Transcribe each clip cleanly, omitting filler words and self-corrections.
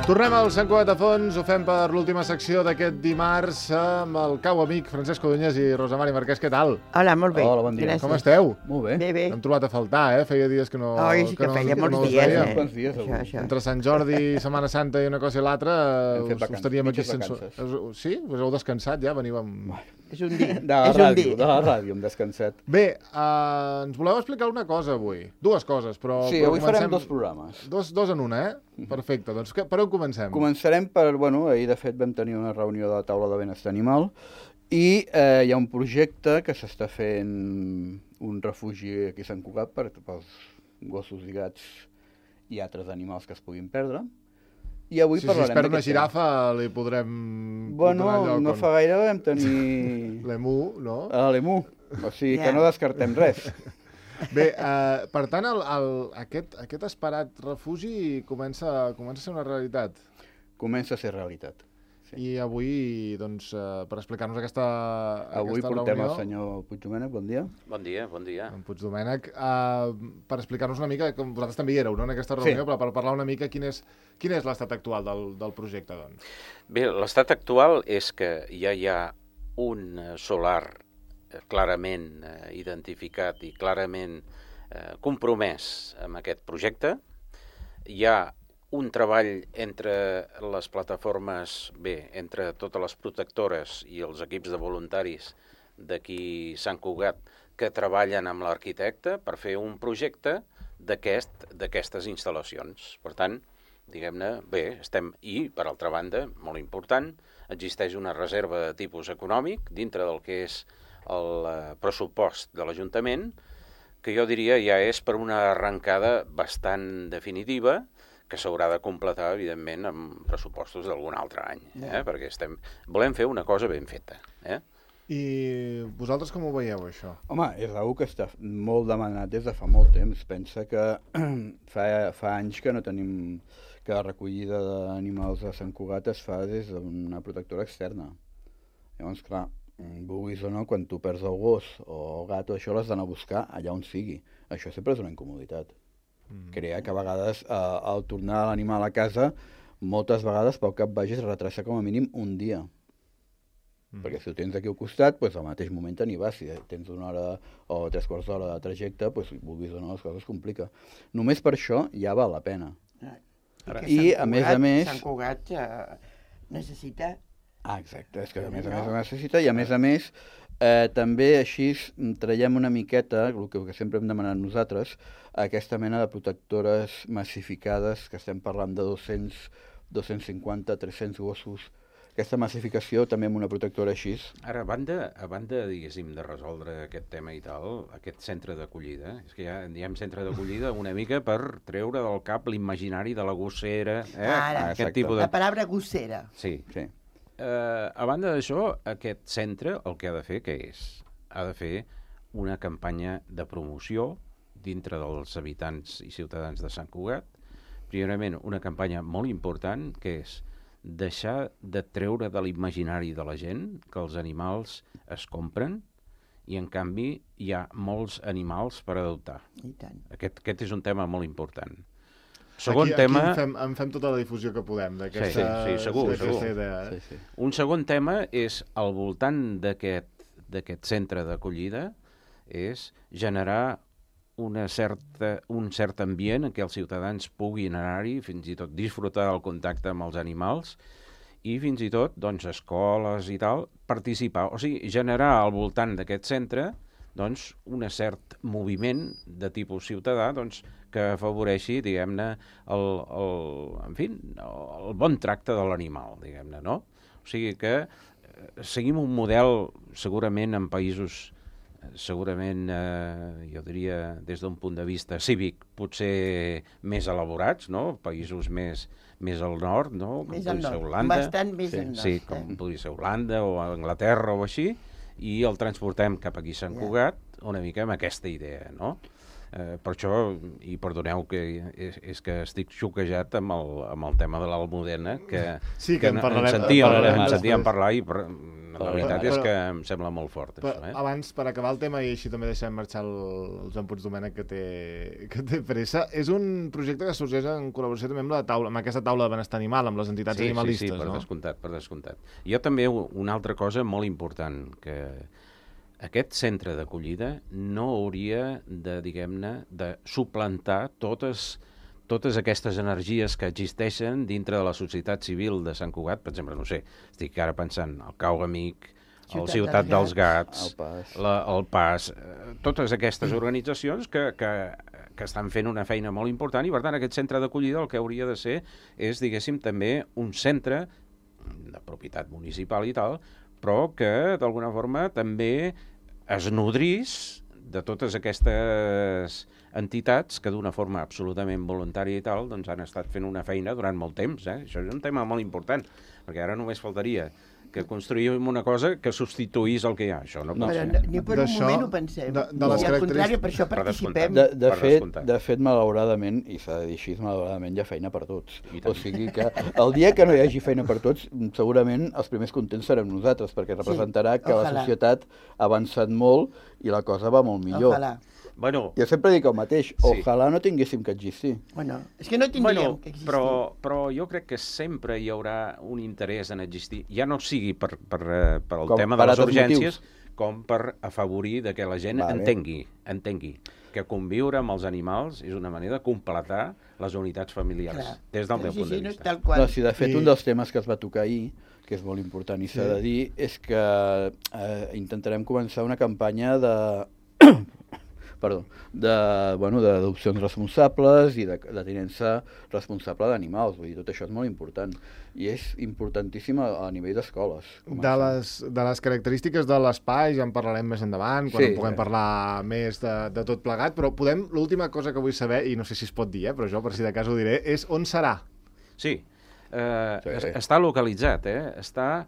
Tornem al Sant Cugat a fons, ho fem per l'última secció d'aquest dimarts amb el cau amic Francesc Codonyes i Rosa Mari Marquès. Què tal? Hola, molt bé. Hola, bon dia. Gràcies. Com esteu? Molt bé. Bé, bé. Hem trobat a faltar, Feia dies que no... Oi, sí que feia molts us dies, veiem. Quants dies, avui? Això. Entre Sant Jordi i Setmana Santa i una cosa i l'altra, Hem fet us vacances, teníem aquí mitges sense... vacances. Sí? Us heu descansat ja? Veniu amb... És un dia. De la És un ràdio, dia. de la ràdio, hem descansat. Bé, ens voleu explicar una cosa avui. Dues coses, però... Sí, però avui farem dos programes. Dos en una, Perfecte. Doncs per on comencem? Començarem per, ahir de fet vam tenir una reunió de la taula de benestar animal i hi ha un projecte que s'està fent un refugi aquí a Sant Cugat pels gossos i gats i altres animals que es puguin perdre. I avui Si parlarem es perd una d'aquest girafa, li podrem Bueno, donar lloc. no fa gaire vam tenir L'emu, no? l'emu, o sigui que Ja. no descartem res. Bé, per tant, aquest esperat refugi comença a ser una realitat. Comença a ser realitat. Sí. I avui, doncs, per explicar-nos aquesta Avui aquesta portem reunió, el senyor Puigdomènec, bon dia. Bon dia, bon dia. en Puigdomènec, per explicar-nos una mica, com vosaltres també hi éreu, no?, en aquesta reunió, Sí. però per parlar una mica quin és l'estat actual del projecte, doncs. Bé, l'estat actual és que ja hi ha un solar clarament identificat i clarament compromès amb aquest projecte. Hi ha un treball entre les plataformes, entre totes les protectores i els equips de voluntaris d'aquí Sant Cugat que treballen amb l'arquitecte per fer un projecte d'aquestes instal·lacions. Per tant, diguem-ne, estem... I, per altra banda, molt important, existeix una reserva de tipus econòmic dintre del que és el pressupost de l'Ajuntament, que jo diria ja és per una arrencada bastant definitiva, que s'haurà de completar, evidentment, amb pressupostos d'algun altre any, perquè volem fer una cosa ben feta. I vosaltres com ho veieu, això? Home, és una que està molt demanat des de fa molt temps. Pensa que fa anys que no tenim que la recollida d'animals a Sant Cugat es fa des d'una protectora externa. Llavors, clar, vulguis o no, quan tu perds el gos o el gat o això l'has d'anar a buscar allà on sigui. Això sempre és una incomoditat. Crea que a vegades al tornar l'animal a casa, moltes vegades pel cap vagis a retrasar com a mínim un dia. Perquè si ho tens aquí al costat, doncs al mateix moment te n'hi vas. Si tens una hora o 3/4 d'hora de trajecte, doncs vulguis o no, les coses es complica. Només per això ja val la pena. I a més a més... Sant Cugat necessita... Exacte, és que a més ho necessita i a més també així traiem una miqueta, el que sempre hem demanat nosaltres, aquesta mena de protectores massificades, que estem parlant de 200, 250, 300 gossos. Aquesta massificació també amb una protectora així. Ara, a banda, diguéssim, de resoldre aquest tema i tal, aquest centre d'acollida, és que ja diem centre d'acollida una mica per treure del cap l'imaginari de la gossera, Ara, aquest tipus de... La paraula gossera. Sí. Sí. A banda d'això, aquest centre el que ha de fer, què és? Ha de fer una campanya de promoció dintre dels habitants i ciutadans de Sant Cugat. Primerament, una campanya molt important, que és deixar de treure de l'imaginari de la gent que els animals es compren i, en canvi, hi ha molts animals per adoptar. I tant. Aquest és un tema molt important. Segon tema... Aquí en fem tota la difusió que podem d'aquesta segur. idea. Sí. Un segon tema és, al voltant d'aquest centre d'acollida, és generar un cert ambient en què els ciutadans puguin anar-hi, fins i tot disfrutar del contacte amb els animals i fins i tot, doncs, escoles i tal, participar. O sigui, generar al voltant d'aquest centre doncs, un cert moviment de tipus ciutadà doncs, que afavoreixi, diguem-ne, el bon tracte de l'animal, diguem-ne, no? O sigui que seguim un model, segurament, en països segurament, jo diria, des d'un punt de vista cívic, potser més elaborats, no? Països més al nord, no? Més al nord, bastant més al nord. Sí, com podria ser Holanda o Anglaterra o així, i el transportem cap aquí a Sant Cugat una mica amb aquesta idea, no? Per això, i perdoneu que és que estic xoquejat amb el tema de l'Almudena, que sí, que en sentíem parlar i La veritat és que em sembla molt fort, això. Abans, per acabar el tema, i així també deixem marxar el Joan Puigdomènech, que té pressa, és un projecte que sorgeix en col·laboració també amb aquesta taula de benestar animal, amb les entitats animalistes, no? Sí, per descomptat. Jo també, una altra cosa molt important, que aquest centre d'acollida no hauria de, diguem-ne, de suplantar totes aquestes energies que existeixen dintre de la societat civil de Sant Cugat. Per exemple, no sé, estic ara pensant el Cau Amic, el Ciutat dels Gats, el PAS, totes aquestes organitzacions que estan fent una feina molt important, i per tant aquest centre d'acollida el que hauria de ser és, diguéssim, també un centre de propietat municipal i tal, però que d'alguna forma també es nodrís de totes aquestes entitats que d'una forma absolutament voluntària i tal doncs han estat fent una feina durant molt temps. Això és un tema molt important, perquè ara només faltaria que construïm una cosa que substituís el que hi ha. Això no pot ser. Ni per un moment ho pensem. Al contrari, per això participem. De fet, malauradament, i s'ha de dir així, malauradament hi ha feina per tots. O sigui que el dia que no hi hagi feina per tots, segurament els primers contents serem nosaltres, perquè representarà que la societat ha avançat molt i la cosa va molt millor. Ojalà. Bueno, jo sempre dic el mateix, ojalà no tinguéssim que existir. Bueno, és que no tindríem que existir. Però jo crec que sempre hi haurà un interès en existir, ja no sigui per el tema de les urgències, com per afavorir que la gent entengui que conviure amb els animals és una manera de completar les unitats familiars, des del meu punt de vista. No, si de fet un dels temes que es va tocar ahir, que és molt important i s'ha de dir, és que intentarem començar una campanya d'adopcions responsables i de tinença responsable d'animals. Vull dir, tot això és molt important. I és importantíssim a nivell d'escoles. De les característiques de l'espai ja en parlarem més endavant, quan puguem parlar més de tot plegat, però l'última cosa que vull saber, i no sé si es pot dir, però jo per si de cas ho diré, és on serà? Sí, està localitzat, està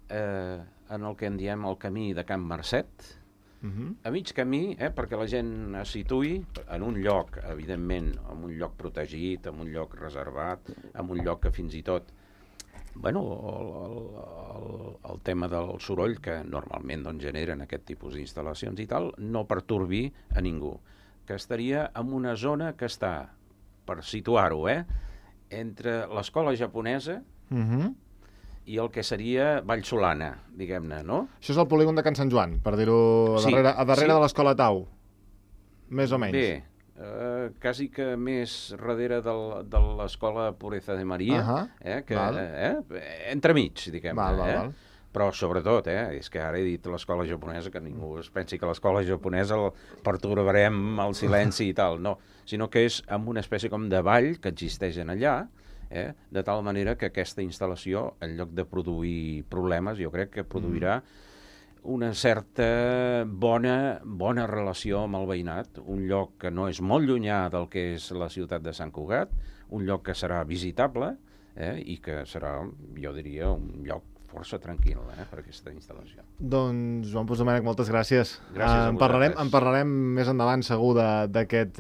en el que en diem el camí de Can Marcet, a mig camí, perquè la gent es situï en un lloc, evidentment, en un lloc protegit, en un lloc reservat, en un lloc que fins i tot, el tema del soroll que normalment generen aquest tipus d'instal·lacions i tal, no pertorbi a ningú. Que estaria en una zona que està, per situar-ho, entre l'escola japonesa i el que seria Vallsolana, diguem-ne, no? Això és el polígon de Can Sant Joan, per dir-ho, a darrere de l'escola Tau, més o menys. Bé, quasi que més darrere de l'escola Pureza de Maria, entremig, diguem-ne. Però sobretot, és que ara he dit l'escola japonesa, que ningú es pensi que l'escola japonesa el pertorbarem al silenci i tal, no, sinó que és amb una espècie com de vall que existeix en allà, de tal manera que aquesta instal·lació, en lloc de produir problemes, jo crec que produirà una certa bona relació amb el veïnat, un lloc que no és molt llunyà del que és la ciutat de Sant Cugat, un lloc que serà visitable i que serà, jo diria, un lloc força tranquil per aquesta instal·lació. Doncs, Joan Puigdomènech, moltes gràcies. Gràcies a vosaltres. En parlarem més endavant, segur, d'aquest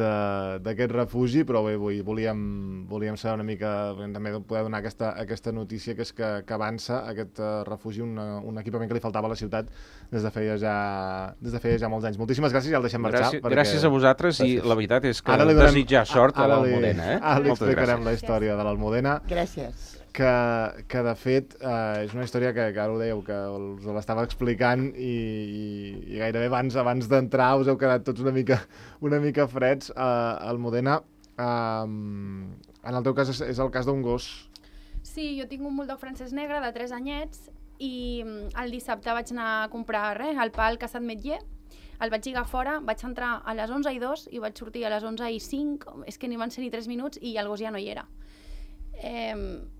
refugi, però bé, volíem saber una mica, també poder donar aquesta notícia, que és que avança aquest refugi, un equipament que li faltava a la ciutat des de feia ja molts anys. Moltíssimes gràcies, ja el deixem marxar. Gràcies a vosaltres, i la veritat és que desitjar sort a l'Almudena. Ara li explicarem la història de l'Almudena. Gràcies. Que de fet és una història que ara ho dèieu, que us l'estava explicant i gairebé abans d'entrar us heu quedat tots una mica freds. Almudena, en el teu cas és el cas d'un gos. Sí, jo tinc un bulldog francès negre de 3 anyets i el dissabte vaig anar a comprar el pa al Casat Metller. El vaig lligar fora, vaig entrar a les 11:02 i vaig sortir a les 11:05, és que ni van ser ni 3 minuts i el gos ja no hi era.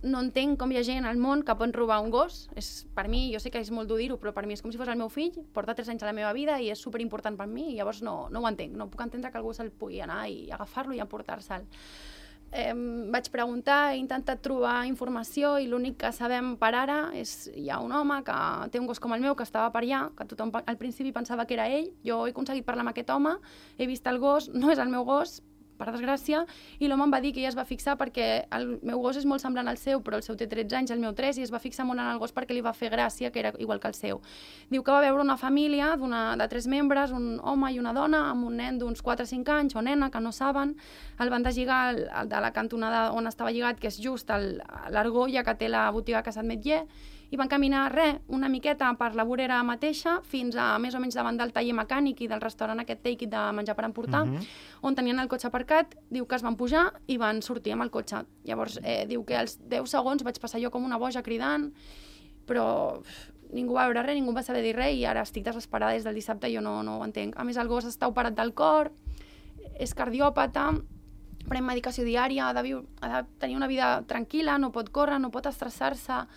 No entenc com hi ha gent al món que pot robar un gos. Per mi, jo sé que és molt dur dir-ho, però per mi és com si fos el meu fill, porta 3 anys a la meva vida i és superimportant per mi, i llavors no ho entenc, no puc entendre que algú se'l pugui anar i agafar-lo i emportar-se'l. Vaig preguntar, he intentat trobar informació i l'únic que sabem per ara és hi ha un home que té un gos com el meu que estava per allà, que tothom al principi pensava que era ell. Jo he aconseguit parlar amb aquest home, he vist el gos, no és el meu gos, per desgràcia, i l'home em va dir que ella es va fixar perquè el meu gos és molt semblant al seu, però el seu té 13 anys, el meu 3, i es va fixar molt en el gos perquè li va fer gràcia, que era igual que el seu. Diu que va veure una família de 3 membres, un home i una dona, amb un nen d'uns 4 o 5 anys, o nena, que no saben, el van deslligar de la cantonada on estava lligat, que és just l'argolla que té la botiga Casat Metller, i van caminar, una miqueta per la vorera mateixa, fins a més o menys davant del taller mecànic i del restaurant aquest Take It de menjar per emportar, on tenien el cotxe aparcat. Diu que es van pujar i van sortir amb el cotxe. Llavors, diu que als 10 segons vaig passar jo com una boja cridant, però ningú va veure res, ningú va saber dir res, i ara estic desesperada des del dissabte, jo no ho entenc. A més, el gos està operat del cor, és cardiòpata, pren medicació diària, ha de tenir una vida tranquil·la, no pot córrer, no pot estressar-se,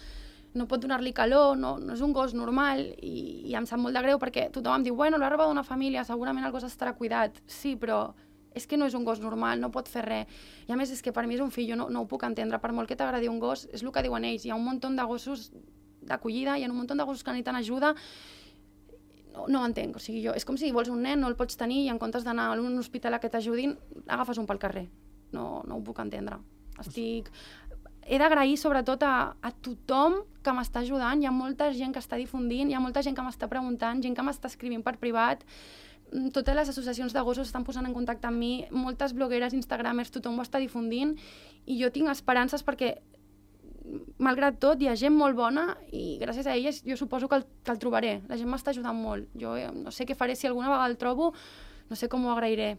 no pot donar-li calor, no és un gos normal, i em sap molt de greu perquè tothom em diu, bueno, l'ha robat una família, segurament el gos estarà cuidat. Sí, però és que no és un gos normal, no pot fer res. I a més és que per mi és un fill, jo no ho puc entendre, per molt que t'agradi un gos, és el que diuen ells, hi ha un munt de gossos d'acollida, hi ha un munt de gossos que necessiten ajuda, no ho entenc, o sigui, és com si vols un nen, no el pots tenir i en comptes d'anar a un hospital a que t'ajudin, agafes un pel carrer. No ho puc entendre. He d'agrair sobretot a tothom que m'està ajudant, hi ha molta gent que està difundint, hi ha molta gent que m'està preguntant, gent que m'està escrivint per privat, totes les associacions de gossos estan posant en contacte amb mi, moltes blogueres, instagramers, tothom ho està difundint, i jo tinc esperances perquè, malgrat tot, hi ha gent molt bona i gràcies a elles jo suposo que el trobaré. La gent m'està ajudant molt. Jo no sé què faré, si alguna vegada el trobo, no sé com ho agrairé.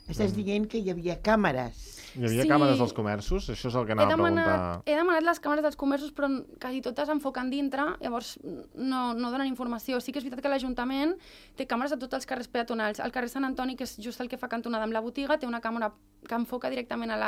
Estàs dient que hi havia càmeres. Hi havia càmeres als comerços? Això és el que anava a preguntar. He demanat les càmeres dels comerços, però quasi totes enfoquen dintre, llavors no donen informació. Sí que és veritat que l'Ajuntament té càmeres a tots els carrers peatonals. El carrer Sant Antoni, que és just el que fa cantonada amb la botiga, té una càmera que enfoca directament a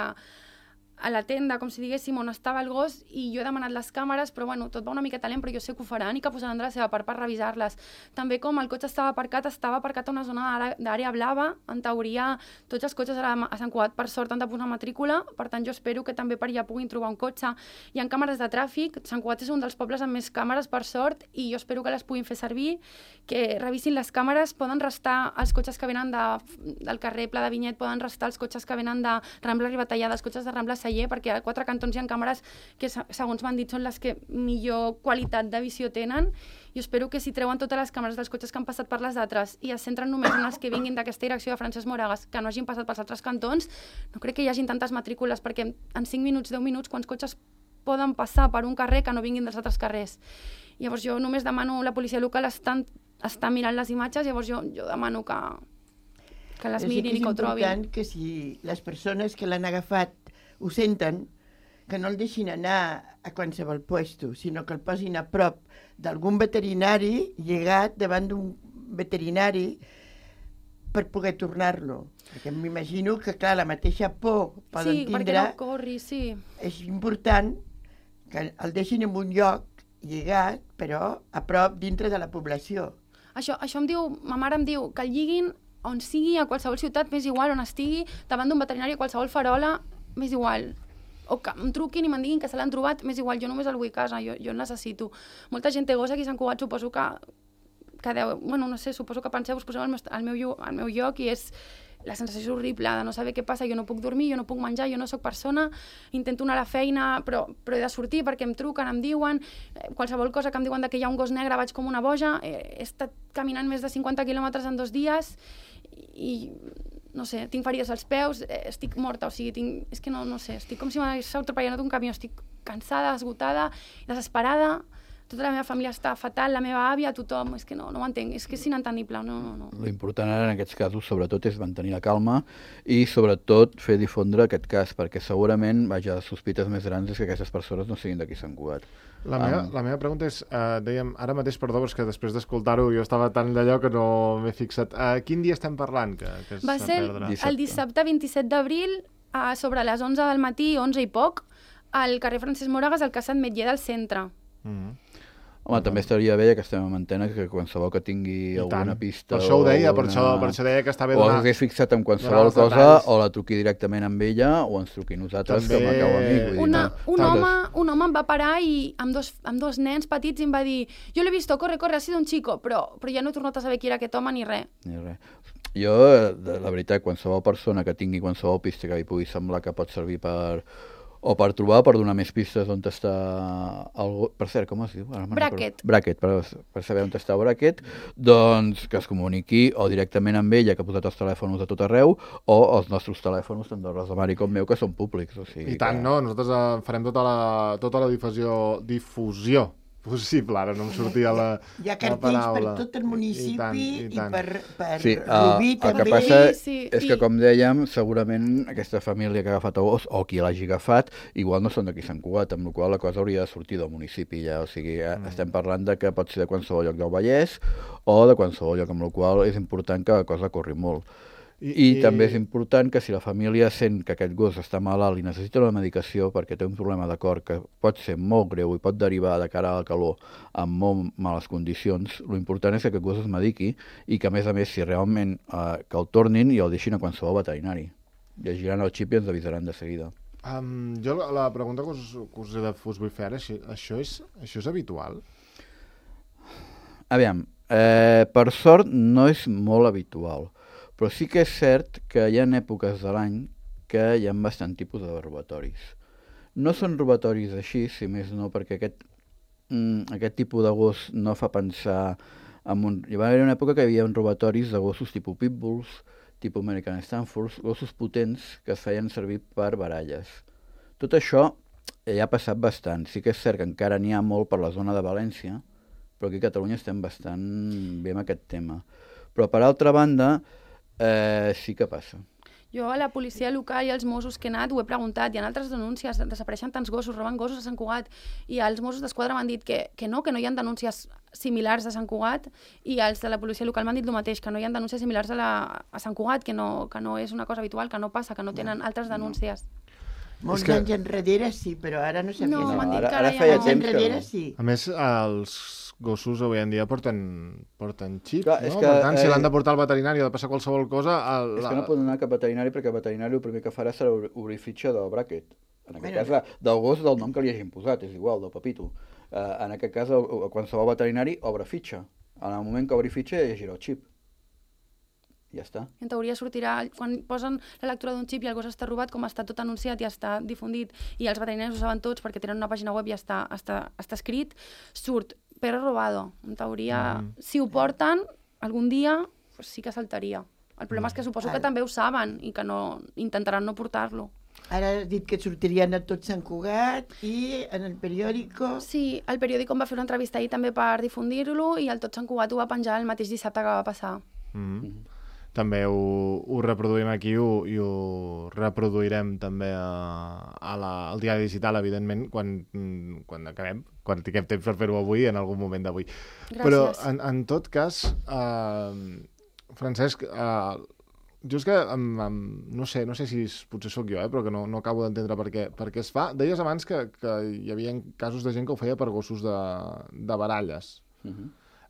la tenda, com si diguéssim, on estava el gos, i jo he demanat les càmeres, però bueno, tot va una miqueta lent, però jo sé que ho faran i que posaran de la seva part per revisar-les. També com el cotxe estava aparcat a una zona d'àrea blava, en teoria tots els cotxes a Sant Cugat per sort han de posar matrícula, per tant jo espero que també per allà puguin trobar un cotxe. Hi ha càmeres de tràfic, Sant Cugat és un dels pobles amb més càmeres per sort, i jo espero que les puguin fer servir, que revisin les càmeres, poden restar els cotxes que venen del carrer Pla de Vinyet, poden restar els cotxes que venen de Rambla Ribatallada, els cotxes de Rambla Celler, perquè a 4 cantons hi ha càmeres que, segons m'han dit, són les que millor qualitat de visió tenen. Jo espero que si treuen totes les càmeres dels cotxes que han passat per les altres i es centren només en els que vinguin d'aquesta direcció de Francesc Moragas, que no hagin passat pels altres cantons, no crec que hi hagin tantes matrícules, perquè en 5 minuts, 10 minuts, quants cotxes poden passar per un carrer que no vinguin dels altres carrers? Llavors jo només demano, la policia local està mirant les imatges, llavors jo demano que les mirin i que ho trobin. És important que si les persones que l'han agafat ho senten, que no el deixin anar a qualsevol puesto, sinó que el posin a prop d'algun veterinari llegat davant d'un veterinari per poder tornar-lo. Perquè m'imagino que, clar, la mateixa por poden tindre... perquè no corri, sí. És important que el deixin en un lloc lligat, però a prop dintre de la població. Això em diu, ma mare em diu que el lliguin on sigui, a qualsevol ciutat, m'és igual on estigui, davant d'un veterinari, a qualsevol farola, m'és igual. O que em truquin i me'n diguin que se l'han trobat, m'és igual, jo només el vull a casa, jo el necessito. Molta gent té gos aquí a Sant Cugat, suposo que bueno, no sé, suposo que penseu, us poseu al meu lloc, i la sensació és horrible de no saber què passa, jo no puc dormir, jo no puc menjar, jo no sóc persona, intento anar a la feina, però he de sortir perquè em truquen, em diuen, qualsevol cosa que em diuen que hi ha un gos negre, vaig com una boja, he estat caminant més de 50 quilòmetres en 2 dies, i no sé, tinc ferides als peus, estic morta, o sigui, és que no sé, estic com si m'hagués atropellat un camió, estic cansada, esgotada, desesperada, tota la meva família està fatal, la meva àvia, tothom, és que no ho entenc, és que és inentendible, no. L'important ara en aquests casos, sobretot, és mantenir la calma i, sobretot, fer difondre aquest cas, perquè segurament, les sospites més grans és que aquestes persones no siguin d'aquí Sant Cugat. La meva pregunta és, dèiem, ara mateix, perdó, però és que després d'escoltar-ho jo estava tan d'allò que no m'he fixat. Quin dia estem parlant? Va ser el dissabte 27 d'abril, sobre les 11 del matí, 11 i poc, al carrer Francesc Moragas, al Casat Metller del centre. Home, també estaria bé, que estem en antena, que qualsevol que tingui alguna pista... Per això ho deia, per això deia que està bé donar... O hagués fixat en qualsevol cosa, o la truqui directament amb ella, o ens truqui nosaltres, que m'acau a mi. Un home em va parar i amb dos nens petits i em va dir, jo l'he vist, corre, ha sido un chico, però ja no he tornat a saber qui era aquest home ni res. Jo, de la veritat, qualsevol persona que tingui qualsevol pista que li pugui semblar que pot servir per trobar, per donar més pistes on està el gos. Per cert, com es diu? Bracket. Bracket, per saber on està Bracket, doncs que es comuniqui o directament amb ella, que ha posat els telèfons a tot arreu, o els nostres telèfons, tant del Rosamari com meu, que són públics. O sigui, I tant, no? Nosaltres farem tota la difusió possible, ara no em sortia la Hi ha cartells per tot el municipi i per Rubí el que també. passa Sí, és que, com dèiem, segurament aquesta família que ha agafat el gos, o qui l'hagi agafat, igual no són d'aquí Sant Cugat, amb la qual cosa la cosa hauria de sortir del municipi ja. O sigui, estem parlant de que pot ser de qualsevol lloc del Vallès o de qualsevol lloc, amb la qual és important que la cosa corri molt. I també és important que si la família sent que aquest gos està malalt i necessita una medicació perquè té un problema de cor que pot ser molt greu i pot derivar de cara a la calor en molt males condicions, l'important és que aquest gos es mediqui i que, a més, si realment que el tornin i el deixin a qualsevol veterinari. Llegiran el xip i ens avisaran de seguida. Jo la pregunta que us vull fer ara, això és habitual? Aviam, per sort no és molt habitual, però sí que és cert que hi ha èpoques de l'any que hi ha bastant tipus de robatoris. No són robatoris així, si més no, perquè aquest tipus de gos no fa pensar en un... Hi va haver una època que hi havia robatoris de gossos tipus pitbulls, tipus American Stanfords, gossos potents que es feien servir per baralles. Tot això ja ha passat bastant. Sí que és cert que encara n'hi ha molt per la zona de València, però aquí a Catalunya estem bastant bé amb aquest tema. Però, per altra banda, sí que passa. Jo a la policia local i als Mossos que he anat ho he preguntat, hi ha altres denúncies, desapareixen tants gossos, roben gossos a Sant Cugat, i els Mossos d'Esquadra m'han dit que no hi ha denúncies similars a Sant Cugat, i els de la policia local m'han dit el mateix, que no hi ha denúncies similars a Sant Cugat, que no és una cosa habitual, que no passa, que no tenen altres denúncies. Molts anys enrere sí, però ara no sabia. No, m'han dit que ara ara feia ja no. temps que enrere no. sí. A més, els gossos avui en dia porten xip, Clar, no? és que, Per tant, si l'han de portar al veterinari o de passar qualsevol cosa... És que no poden anar cap veterinari perquè el veterinari el primer que farà serà obrir fitxa del Bracket. En aquest cas, del gos del nom que li hagin posat, és igual, del Pepito. En aquest cas, qualsevol veterinari obre fitxa. En el moment que obri fitxa ja llegirà el xip. Ja està. En teoria sortirà, quan posen la lectura d'un xip i el gos està robat, com està tot anunciat i està difundit, i els veterinaris ho saben tots perquè tenen una pàgina web i està escrit, surt perro robado. En teoria, si ho porten, algun dia pues sí que saltaria. El problema és que suposo que també ho saben i que intentaran no portar-lo. Ara has dit que sortirien a tot Sant Cugat i en el periòdico... Sí, el periòdico em va fer una entrevista ahir també per difundir-lo i el Tot Sant Cugat ho va penjar el mateix dissabte que va passar. També ho reproduïm aquí i ho reproduirem també al diari digital, evidentment, quan acabem, quan tinguem temps per fer-ho avui, en algun moment d'avui. Però, en tot cas, Francesc, jo és que no sé si potser sóc jo, però que no acabo d'entendre per què es fa. Deies abans que hi havia casos de gent que ho feia per gossos de baralles.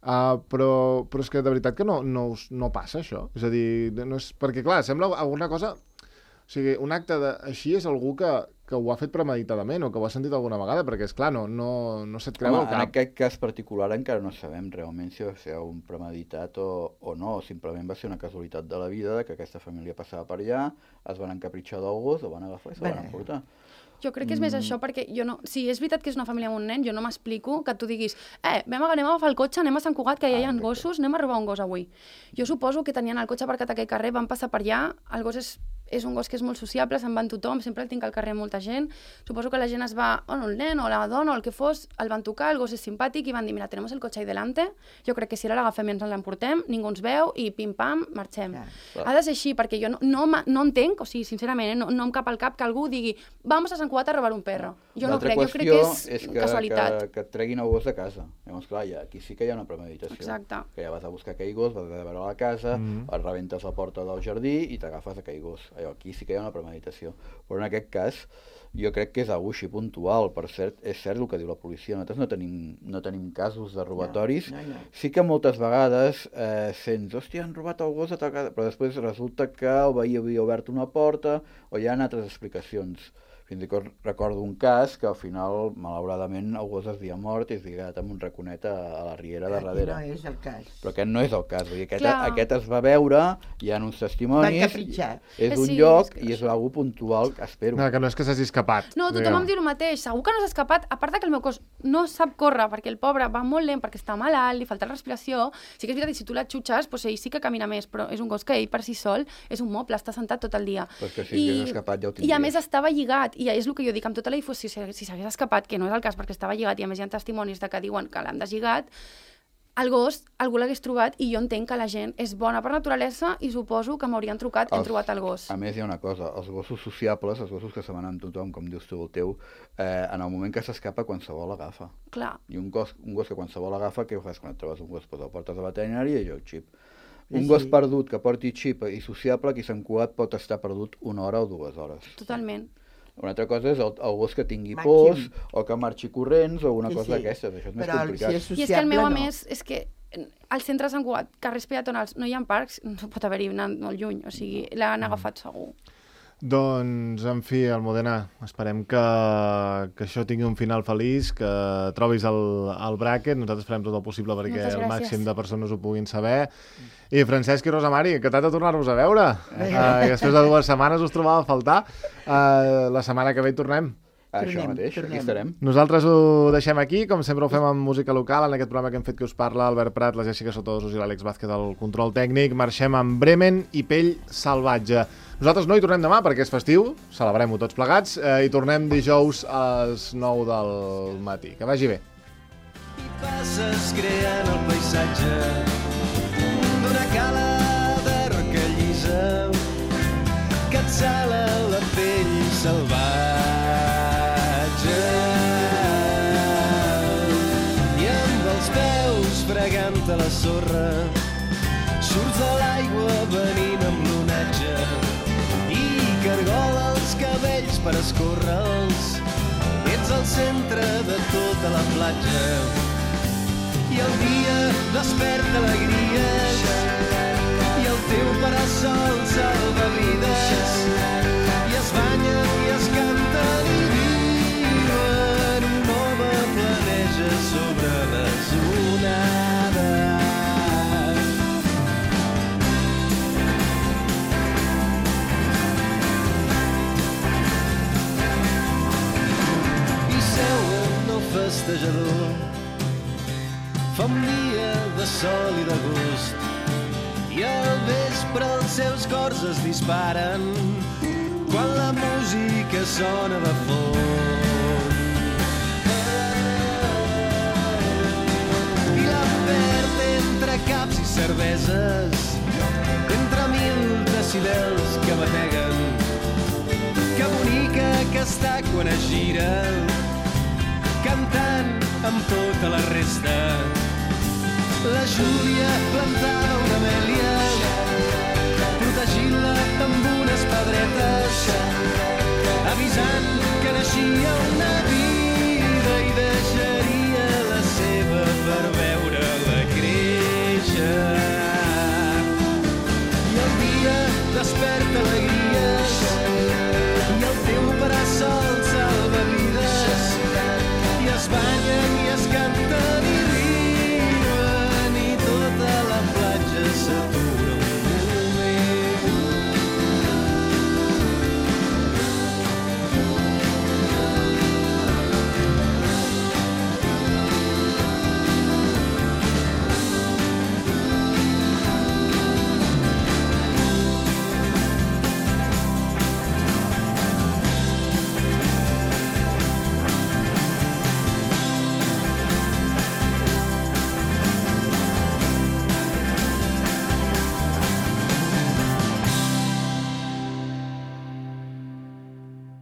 Però és que de veritat que no passa això. És a dir, no és... perquè clar, sembla alguna cosa... O sigui, un acte així és algú que ho ha fet premeditadament o que ho ha sentit alguna vegada, perquè és clar, no se't creu al cap. En aquest cas particular encara no sabem realment si va ser un premeditat o no, simplement va ser una casualitat de la vida que aquesta família passava per allà, es van encapritxar del gos, el van agafar i se'l van emportar. Jo crec que és més això perquè si és veritat que és una família amb un nen, jo no m'explico que tu diguis anem a agafar el cotxe, anem a Sant Cugat, que ja hi ha gossos, anem a robar un gos avui. Jo suposo que tenien el cotxe aparcat a aquell carrer, van passar per allà, el gos és un gos que és molt sociable, se'n va en tothom, sempre el tinc al carrer molta gent. Suposo que la gent es va, o el nen, o la dona, o el que fos, el van tocar, el gos és simpàtic i van dir, mira, tenemos el cotxe ahí delante, jo crec que si ara l'agafem i ens l'emportem, ningú ens veu i pim-pam, marxem. Ha de ser així, perquè jo no entenc, o sigui, sincerament, no em cap al cap que algú digui, vamos a Sant Cugat a robar un perro. Jo no crec, jo crec que és casualitat. Que et treguin el gos de casa. Llavors, clar, aquí sí que hi ha una premeditació. Exacte. Que ja vas a buscar aquell gos, vas a veure a la casa, et rebentes la porta del jardí i t'agafes aquell gos. Aquí sí que hi ha una premeditació. Però en aquest cas, jo crec que és algú així puntual. Per cert, és cert el que diu la policia. Nosaltres no tenim casos de robatoris. No. Sí que moltes vegades sents, hòstia, han robat el gos a tal casa, però després resulta que el veí havia obert una porta o hi ha altres explicacions. Fins i tot recordo un cas que al final, malauradament, el gos es havia mort i es lligat amb un raconet a la riera de darrere. No és el cas. Però aquest no és el cas. Vull dir, Clar. aquest es va veure, hi ha uns testimonis, Van capritxar. és un Sí, lloc és que i és algú puntual, espero. No, que no és que s'hagi escapat. No, tothom em diu el mateix. Segur que no s'ha escapat. A part de que el meu cos no sap córrer, perquè el pobre va molt lent, perquè està malalt, li falta respiració. Sí que és veritat que si tu l'atxutxes, doncs ell sí que camina més, però és un gos que ell per si sol és un moble, està sentat tot el dia. Però és que si hagués escapat ja ho I a tindries. més estava lligat, i és el que jo dic, amb tota la difusió, si s'hagués escapat, que no és el cas perquè estava lligat, i a més hi ha testimonis de que diuen que l'han deslligat, el gos algú l'hagués trobat, i jo entenc que la gent és bona per naturalesa i suposo que m'haurien trucat, hem trobat el gos. A més, hi ha una cosa, els gossos sociables, els gossos que se van amb tothom, com dius tu el teu, en el moment que s'escapa, qualsevol l'agafa. Clar. I un gos que qualsevol l'agafa, què ho fas quan et trobes un gos? Pues el portes a la veterinària i jo xip. Un Sí. gos perdut que porti xip i sociable, qui Sant Cugat pot estar perdut 1 hora o 2 hores. Totalment. Una altra cosa és el gos que tingui Màxim. pors o que marxi corrents o una Sí, cosa sí. d'aquestes. Això és més Però complicat. si és I és que el meu, a no. més, és que al centre de Sant Cugat, carrers peatonals, no hi ha parcs, no pot haver-hi anant molt lluny, o sigui, l'han agafat segur. Doncs, en fi, Almudena, esperem que això tingui un final feliç, que trobis el bràquet. Nosaltres farem tot el possible perquè Moltes el gràcies. màxim de persones ho puguin saber. I Francesc i Rosa Mari, encantat de tornar-vos a veure. I després de 2 setmanes us trobava a faltar. La setmana que ve hi tornem. Això Tornem, mateix, tornem. aquí estarem. Nosaltres ho deixem aquí, com sempre ho fem amb música local, en aquest programa que hem fet que us parla Albert Prat, la Jessica Sotosos i l'Àlex Vázquez al control tècnic. Marxem amb Bremen i Pell Salvatge. Nosaltres no hi tornem demà perquè és festiu, celebrem-ho tots plegats, i tornem dijous a les 9 del matí. Que vagi bé. I passes creant el paisatge d'una cala de roca llisa que et sala la pell salvatge. I amb els peus fregant a la sorra surts de l'aigua venint amb l'onatge i cargola els cabells per escórrer-los. Ets al centre de tota la platja i el dia desperta alegries i el teu parasol salva vides i es banyen i es canten i viuen un nova planeja sobre les onades. I seuen el festejador. Fa un dia de sol i de gust i al vespre els seus cors es disparen quan la música sona de fons. I la perd entre caps i cerveses, entre 1000 decibels que bateguen. Que bonica que està quan es gira, cantant amb tota la resta. La Júlia plantava una amèlia, protegint-la amb unes pedretes, avisant que naixia una